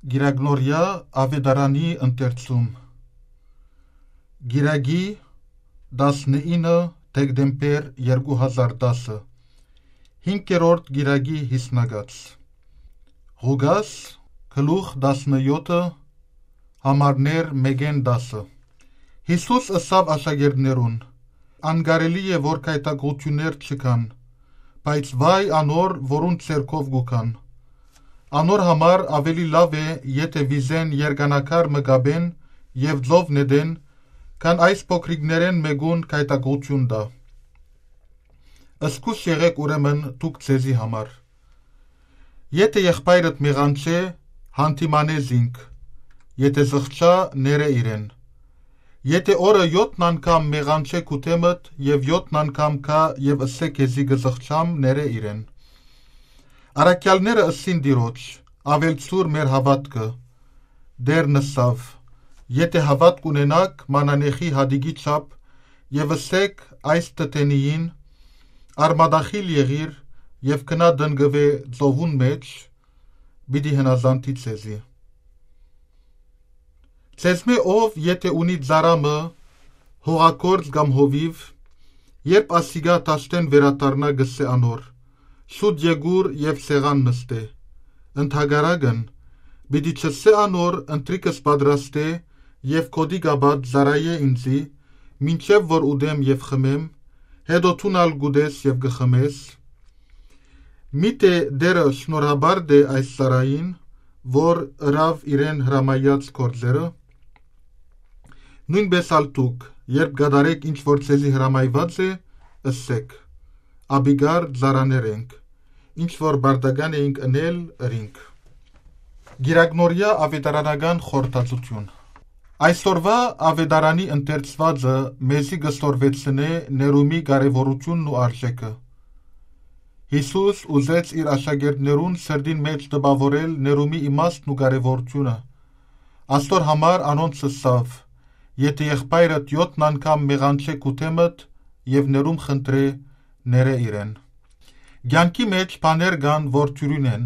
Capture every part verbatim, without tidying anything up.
Կիրակնորեայ աւետարանի ընթերցում։ Կիրակի, տասնինը դեկտեմբեր երկու հազար տասը, հինգերորդ կիրակի յիսնակաց։ Ղուկաս, գլուխ տասնեօթը, համարներ մէկէն տասը։ Յիսուս ըսաւ աշակերտներուն. «Անկարելի է որ գայթակղութիւններ չգան, բայց վայ անոր, որուն ձեռքով կու գան։ Անոր համար աւելի լաւ է, եթէ վիզէն երկանակար մը կապեն եւ ծով նետեն, քան այս փոքրիկներէն մէկուն գայթակղութիւն տայ։ Զգոյշ եղէք ուրեմն դուք ձեզի համար։ Եթէ եղբայրդ մեղանչէ, յանդիմանէ զինք, եթէ զղջայ, ներէ իրեն։ Եթէ օրը եօթն անգամ մեղանչէ քու դէմդ եւ եօթն անգամ գայ եւ ըսէ քեզի կը զղջամ, ներէ իրեն»։ Առաքեալները ըսին Տիրոջ. «Աւելցուր մեր հաւատքը»։ Տէրն ըսաւ. «Եթէ հաւատք ունենաք մանանեխի հատիկի չափ, եւ ըսէք այս թթենիին. "Արմատախիլ եղիր եւ գնա տնկուէ ծովուն մէջ", պիտի հնազանդի ձեզի։ Ձեզմէ ով եթէ ունի ծառայ մը, հողագործ կամ հովիւ, երբ ասիկա դաշտէն վերադառնայ, կ'ըսէ անոր. "Շուտ եկուր եւ սեղան նստէ"։ Ընդհակառակն, պիտի չ'ըսէ անոր. "Ընթրիքս պատրաստէ եւ գօտի կապած ծառայէ ինծի, մինչեւ որ ուտեմ եւ խմեմ, հետո դուն ալ կ'ուտես եւ կը խմես"։ Միթէ Տէրը շնորհաբար տէ այս ծառային, որ ըրաւ իրեն հրամայած գործերը։ Նոյնպէս ալ դուք, երբ կատարէք ինչ որ ձեզի հրամայուած է, ըսէք. "Աբիկար ծառաներ ենք, ինչ որ պարտական էինք ընել, ըրինք"։ Կիրակնորեայ աւետարանական խորհրդածութիւն։ Այսօրուայ աւետարանի ընթերցուածը մեզի կը սորվեցնէ ներումի կարեւորութիւնն ու արժէքը։ Յիսուս ուզեց իր աշակերտներուն սրտին մէջ տպաւորել ներումի իմաստն ու կարեւորութիւնը։ Աստոր համար անոնց ըսաւ. "Եթէ եղբայրդ եօթն անգամ մեղանչէ քու դէմդ եւ ներում խնդրէ, ներէ իրեն"։ Կեանքի մէջ բաներ կան, որ թիւրին են,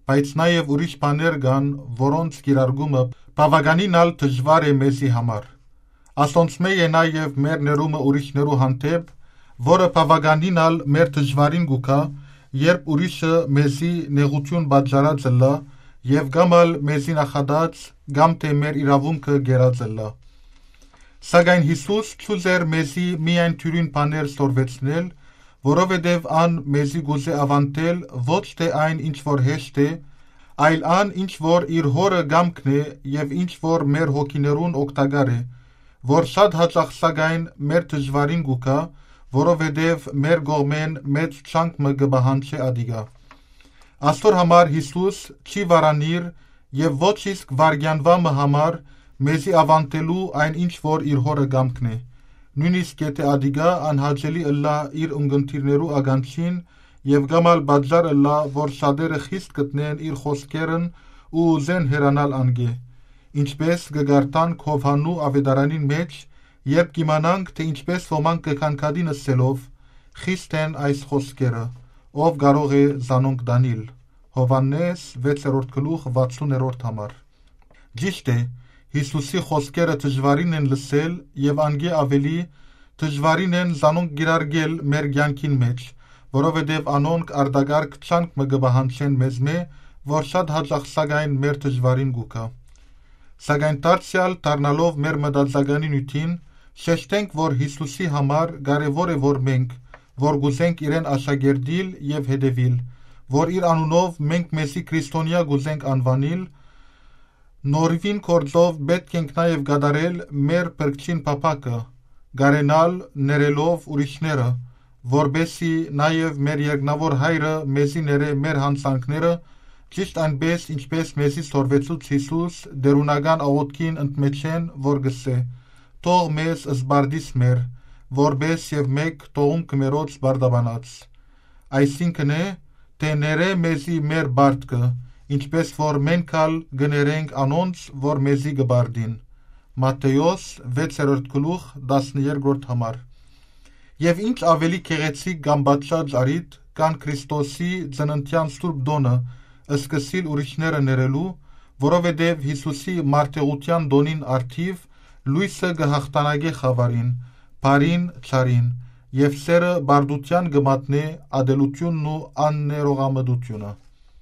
բայց նաեւ ուրիշ բաներ կան, որոնց կիրարկումը բաւականին ալ դժուար է մեզի համար։ Ասոնցմէ է նաեւ մեր ներումը ուրիշներու հանդէպ, որը բաւականին ալ մեր դժուարին կու գայ, երբ ուրիշը մեզի նեղութիւն պատճառած ըլլայ եւ կամ ալ մեզի նախատած, կամ թէ մեր իրաւունքը կերած ըլլայ։ Սակայն Յիսուս չ'ուզեր մեզի միայն թիւրին բաներ սորվեցնել, որովհետեւ ան մեզի կ'ուզէ աւանդել ոչ թէ այն, ինչ որ հեշտ է, այլ ան, ինչ որ իր Հօրը կամքն է եւ ինչ որ մեր հոգիներուն օգտակար է, որ շատ յաճախ սակայն մեր դժուարին կու գայ, որովհետեւ մեր կողմէն մեծ ջանք մը կը պահանջէ ատիկա։ Աստոր համար Յիսուս չի վարանիր եւ ոչ իսկ վայրկեանուայ մը համար մեզի աւանդելու այն, ինչ որ իր Հօրը կամքն է, նոյնիսկ եթէ ատիկա անհաճելի ըլլայ իր ունկնդիրներու ականջին եւ կամ ալ պատճառ ըլլայ, որ շատերը խիստ գտնեն իր խօսքերն ու ուզեն հեռանալ անկէ, ինչպէս կը կարդանք Յովհաննու աւետարանին մէջ, երբ կ'իմանանք թէ ինչպէս ոմանք կը գանգատին ըսելով. "Խիստ են այս խօսքերը, ով կարող է զանոնք տանիլ"։ Յովհաննէս վեցերորդ գլուխ վաթսուներորդ համար։ Ճիշդ է, Յիսուսի խօսքերը դժուարին են լսել եւ անկէ աւելի դժուարին են զանոնք կիրարկել մեր կեանքին մէջ, որովհետեւ անոնք արտակարգ ջանք մը կը պահանջեն մեզմէ, որ շատ յաճախ սակայն մեր դժուարին կու գայ։ Սակայն դարձեալ դառնալով մեր մտածականի նիւթին, շեշտենք, որ Յիսուսի համար կարեւոր է, որ մենք, որ կ'ուզենք իրեն աշակերտիլ եւ հետեւիլ, որ իր անունով մենք մեզի քրիստոնեայ կ'ուզենք անուանիլ, նորին գործով պէտք ենք նաեւ կատարել մեր փրկչին փափաքը, կարենալ ներելով ուրիշները, որպեսզի նաեւ մեր երկնաւոր Հայրը մեզի ներէ մեր յանցանքները, ճիշդ այնպէս, ինչպէս մեզի սորվեցուց Յիսուս, տէրունական աղօթքին ընդմէջէն, որ կ'ըսէ. "Թող մեզ զբարդիս մեր, որպէս եւ մէկ թողունք մերոց պարտաբանած"։ Այսինքն է, թէ ներէ մեզի մեր պարտքը, ինչպէս որ մենք ալ կը ներենք անոնց, որ մեզի կը պարտին։ Մատթէոս վեցերորդ գլուխ, տասներկրորդ համար։ Եւ ինչ աւելի գեղեցիկ կամ պատշաճ առիթ կան Քրիստոսի ծննդեան սուրբ տօնը սկսիլ ուրիշները ներելու, որովհետեւ Յիսուսի մարտեղութեան տօնին առթիւ լոյսը կը յաղթանակէ խաւարին, բարին, չարին, եւ սէրը պարտութեան կը մատնէ ատելութիւնն ու աններողամտութիւնը»։